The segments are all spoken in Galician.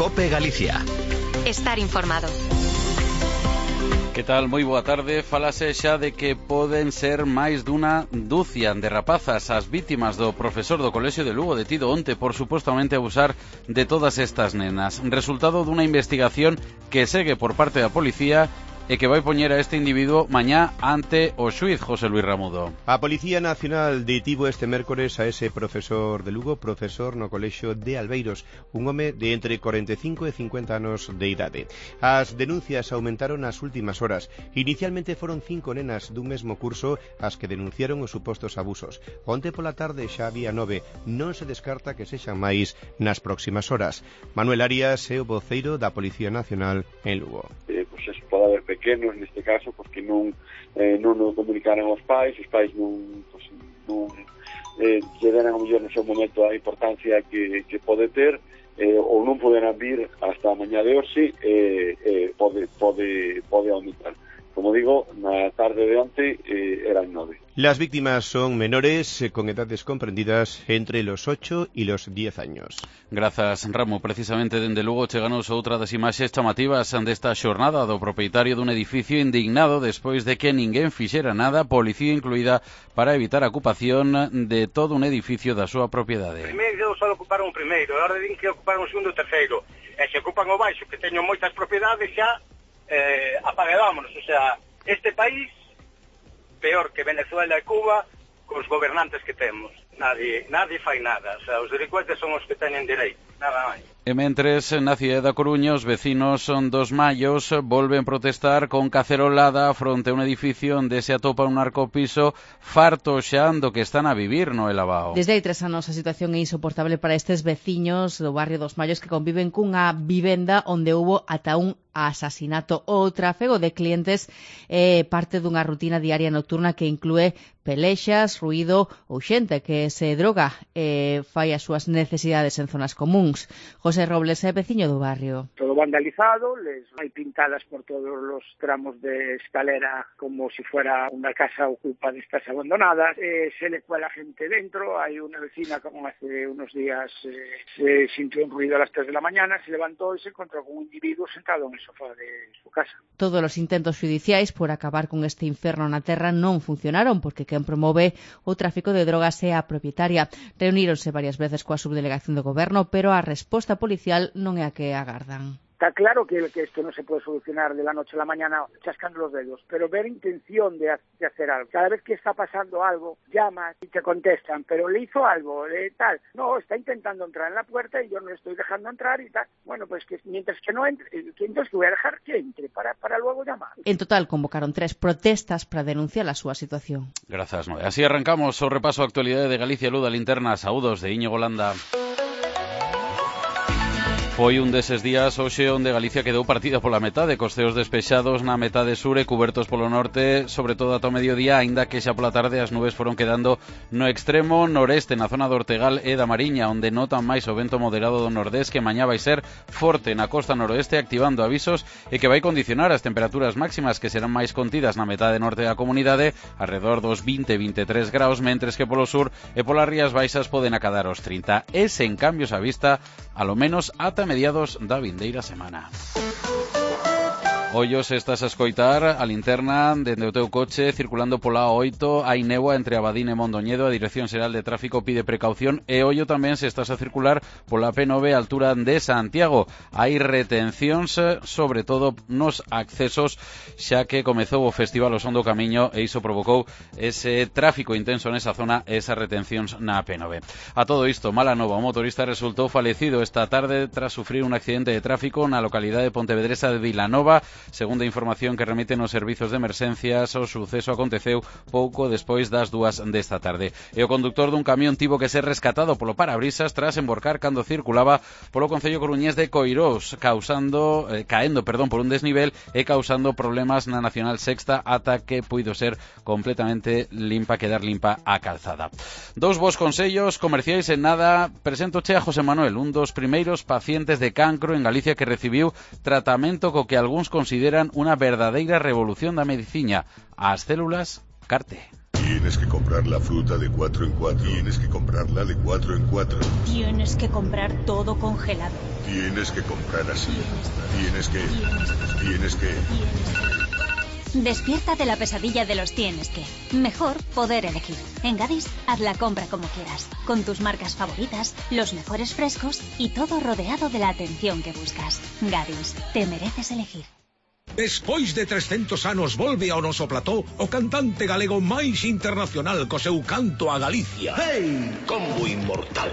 COPE Galicia. Estar informado. Que tal? Moi boa tarde. Falase xa de que poden ser máis dunha dúcia de rapazas as vítimas do profesor do Colexio de Lugo detido onte por supostamente abusar de todas estas nenas. Resultado dunha investigación que segue por parte da policía e que vai poñer a este individuo mañá ante o xuíz José Luis Ramudo. A Policía Nacional detivo este mércores a ese profesor de Lugo, profesor no Colexio de Albeiros, un home de entre 45 e 50 anos de idade. As denuncias aumentaron nas últimas horas. Inicialmente foron 5 nenas dun mesmo curso as que denunciaron os supostos abusos. Onte pola tarde xa había 9. Non se descarta que sexan máis nas próximas horas. Manuel Arias é o voceiro da Policía Nacional en Lugo. Pois eso pode haber pequenos neste caso porque non o comunicaran aos pais, os pais non lle deran ao mellor no seu momento a importancia que pode ter, ou non poderán vir hasta a mañá de hoxe, pode aumentar. Como digo, na tarde de onte eran 9. Las víctimas son menores con edades comprendidas entre los 8 y los 10 años. Grazas, Ramo. Precisamente dende Lugo cheganos outra das imaxes chamativas desta xornada do propietario dun edificio indignado despois de que ninguén fixera nada, policía incluída, para evitar a ocupación de todo un edificio da súa propiedade. Primeiro só ocuparon o primeiro, agora din que ocuparon o segundo e o terceiro. E se ocupan o baixo, que teño moitas propiedades xa, apaguedámonos. O sea, este país peor que Venezuela e Cuba cos gobernantes que temos. Nadie fai nada. O sea, os delincuentes son os que teñen dereito, nada máis. E mentres, na cidade da Coruña, os vecinos dos Mallos volven protestar con cacerolada fronte a un edificio onde se atopa un narcopiso farto xa do que están a vivir no Elabao. Desde hai 3 anos a situación é insoportable para estes veciños do barrio dos Mallos que conviven cunha vivenda onde hubo ata un asasinato. O tráfego de clientes é parte dunha rutina diaria nocturna que inclúe pelexas, ruído ou xente que se droga e fai as súas necesidades en zonas comuns. José Robles é veciño do barrio. Todo vandalizado, hai pintadas por todos os tramos de escalera como si fuera unha casa ocupa de estas abandonadas, se le cuela gente dentro, hai unha vecina como hace unos días se sintió un ruido a las 3 de la mañana, se levantó e se encontró con un individuo sentado en el sofá de su casa. Todos os intentos judiciais por acabar con este inferno na terra non funcionaron porque quen promove o tráfico de drogas é a propietaria. Reuníronse varias veces coa subdelegación do goberno, pero a resposta policial non é a que agardan. Está claro que esto no se puede solucionar de la noche a la mañana chascando los dedos, pero ver intención de hacer algo. Cada vez que está pasando algo, llamas y te contestan, pero le hizo algo, tal. No, está intentando entrar en la puerta y yo no le estoy dejando entrar y tal. Bueno, pues que mientras que no entre, entonces voy a dejar que entre para luego llamar. En total convocaron 3 protestas para denunciar a súa situación. Grazas, Noé. Así arrancamos o repaso a actualidade de Galicia Luda Linterna. Saúdos de Íñigo Landa. Foi un deses días hoxe onde Galicia quedou partida pola metade, cos ceos despexados na metade sur e cubertos polo norte, sobre todo ata o mediodía, aínda que xa pola tarde as nubes foron quedando no extremo noreste, na zona do Ortegal e da Mariña, onde notan máis o vento moderado do nordés que mañá vai ser forte na costa noroeste, activando avisos e que vai condicionar as temperaturas máximas que serán máis contidas na metade norte da comunidade, alrededor dos 20-23 graus, mentres que polo sur e polas rías baixas poden acadar os 30. E sen cambios a vista, alo menos ata mediados da vindeira semana. Ollos, estás a escoitar a linterna dende o teu coche circulando pola A8, hai néboa entre Abadín e Mondoñedo, a Dirección Xeral de Tráfico pide precaución e ollo tamén se estás a circular pola P9 a altura de Santiago. Hai retencións, sobre todo nos accesos, xa que comezou o Festival O Son do Camiño e iso provocou ese tráfico intenso nesa zona e esas retencións na P9. A todo isto, mala nova, o motorista resultou falecido esta tarde tras sufrir un accidente de tráfico na localidade pontevedresa de Vilanova. Segundo a información que remiten os servizos de emerxencias, o suceso aconteceu pouco despois das 2 desta tarde. E o conductor dun camión tivo que ser rescatado polo parabrisas tras emborcar cando circulaba polo concello coruñés de Coirós, caendo por un desnivel e causando problemas na Nacional Sexta ata que puido ser completamente quedar limpa a calzada. 2 bons consellos comerciais en nada. Preséntoche a José Manuel, un dos primeiros pacientes de cancro en Galicia que recibiu tratamento co que algúns consideran unha verdadeira revolución da medicina, as células CAR-T. Tienes que comprar la fruta de 4 en 4. Tienes que comprarla de 4 en 4. Tienes que comprar todo congelado. Tienes que comprar así. Tienes que. Despierta de la pesadilla de los tienes que. Mejor poder elegir. En Gadis, haz la compra como quieras, con tus marcas favoritas, los mejores frescos y todo rodeado de la atención que buscas. Gadis, te mereces elegir. Despois de 300 anos volve ao noso plató o cantante galego máis internacional co seu canto a Galicia. Hey, combo inmortal.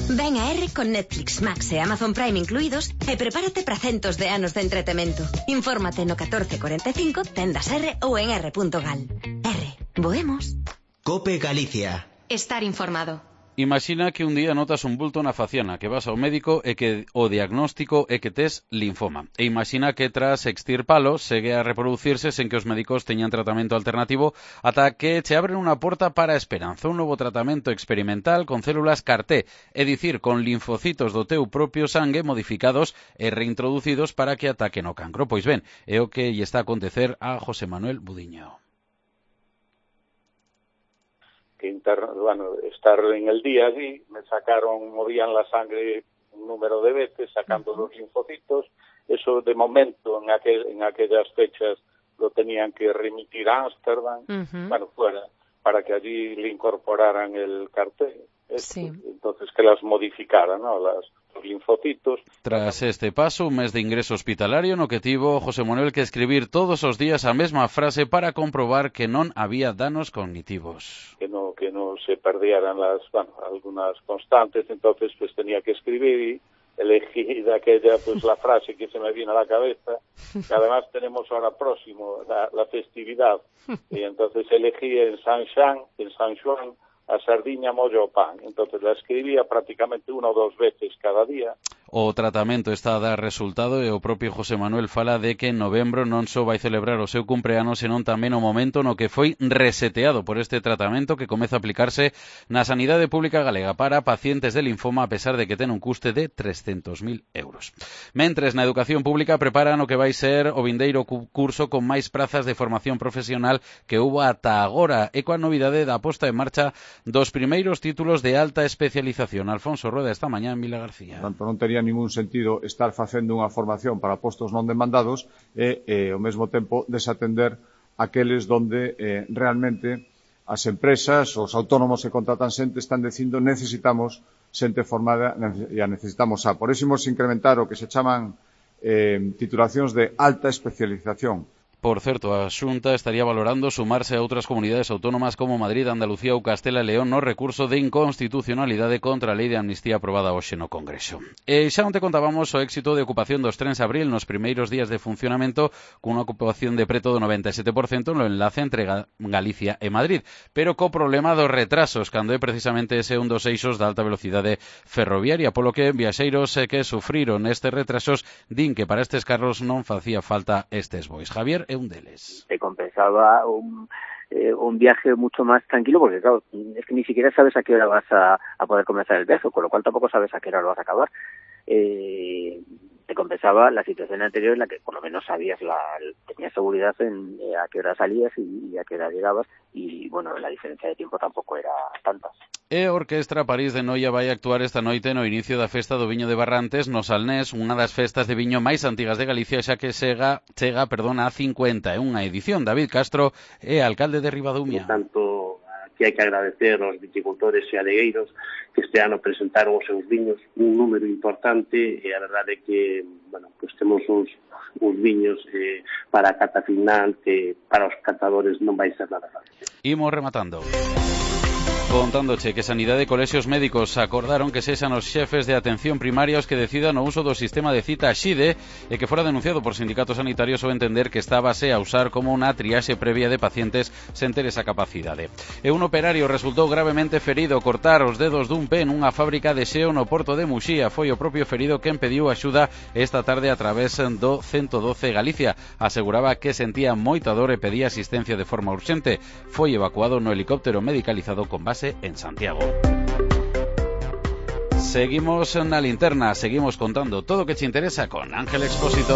Ven a R con Netflix, Max e Amazon Prime incluídos e prepárate para centos de anos de entretemento. Infórmate no 1445, tendas R ou en r.gal. R, voemos. Cope Galicia. Estar informado. Imagina que un día notas un bulto na faciana, que vas ao médico e que o diagnóstico é que tes linfoma. E imagina que tras extirpalo segue a reproducirse sen que os médicos teñan tratamento alternativo ata que che abren unha porta para a esperanza, un novo tratamento experimental con células CAR-T, é dicir, con linfocitos do teu propio sangue modificados e reintroducidos para que ataquen o cancro. Pois ben, é o que lle está a acontecer a José Manuel Budiño. Estar en el día allí, movían la sangre un número de veces, sacando los linfocitos. Eso de momento en aquellas fechas lo tenían que remitir a Ámsterdam, fuera, para que allí le incorporaran el CAR-T. Sí. Entonces que las modificaran, ¿no? Los linfocitos. Tras este paso, un mes de ingreso hospitalario no que tivo José Manuel que escribir todos os días a mesma frase para comprobar que non había danos cognitivos. Que no se perdieran algunas constantes, entonces pues tenía que escribir y elegí de aquella la frase que se me vino a la cabeza, que además tenemos ahora próximo la festividad, y entonces elegí en San Juan a sardiña, mollo o pan. Entonces la escribía prácticamente 1 o 2 veces cada día. O tratamento está a dar resultado e o propio José Manuel fala de que en novembro non só vai celebrar o seu cumpleano, senón tamén o momento no que foi reseteado por este tratamento que comeza a aplicarse na sanidade pública galega para pacientes de linfoma a pesar de que ten un custe de 300.000 euros. Mentres, na educación pública preparan o que vai ser o vindeiro curso con máis prazas de formación profesional que hubo ata agora e coa novidade da posta en marcha dos primeiros títulos de alta especialización. Alfonso Rueda esta mañá en Vila García. Tanto non tería ningún sentido estar facendo unha formación para postos non demandados e ao mesmo tempo desatender aqueles donde realmente as empresas, os autónomos que contratan xente están dicindo necesitamos xente formada e a necesitamos Por iso imos incrementar o que se chaman titulacións de alta especialización. Por certo, a Xunta estaría valorando sumarse a outras comunidades autónomas como Madrid, Andalucía ou Castela e León no recurso de inconstitucionalidade contra a lei de amnistía aprobada hoxe no Congreso. E xa onte contábamos o éxito de ocupación dos trens Abril nos primeiros días de funcionamento cunha ocupación de preto do 97% no enlace entre Galicia e Madrid, pero co problema dos retrasos, cando é precisamente ese un dos eixos da alta velocidade ferroviaria, polo que viaxeiros que sufriron estes retrasos din que para estes carros non facía falta estes bois. Javier é un deles. Te compensaba un viaje mucho más tranquilo porque, claro, es que ni siquiera sabes a qué hora vas a poder comenzar el viaje, con lo cual tampoco sabes a qué hora lo vas a acabar. Te compensaba la situación anterior en la que por lo menos sabías, tenías seguridad en a qué hora salías y a qué hora llegabas y, bueno, la diferencia de tiempo tampoco era tanta. E a Orquestra París de Noia vai actuar esta noite no inicio da festa do viño de Barrantes no Salnés, unha das festas de viño máis antigas de Galicia, xa que chega a 51 edición. David Castro é alcalde de Ribadumia. Tanto que hai que agradecer aos viticultores e adegueiros que este ano presentaron os seus viños, un número importante, e a verdade é que, bueno, pues temos uns viños para a cata final que para os catadores non vai ser nada fácil. Imos rematando. Contándoche que Sanidade e Colexios Médicos acordaron que sexan os xefes de atención primaria os que decidan o uso do sistema de cita XIDE e que fora denunciado por sindicatos sanitarios ao entender que estábase a usar como unha triaxe previa de pacientes sen ter esa capacidade. E un operario resultou gravemente ferido ao cortar os dedos dun pé nunha fábrica de xeo no porto de Muxía. Foi o propio ferido quen pediu axuda esta tarde a través do 112 Galicia. Aseguraba que sentía moita dor e pedía asistencia de forma urxente. Foi evacuado no helicóptero medicalizado con base en Santiago. Seguimos na linterna, seguimos contando todo o que te interesa con Ángel Expósito.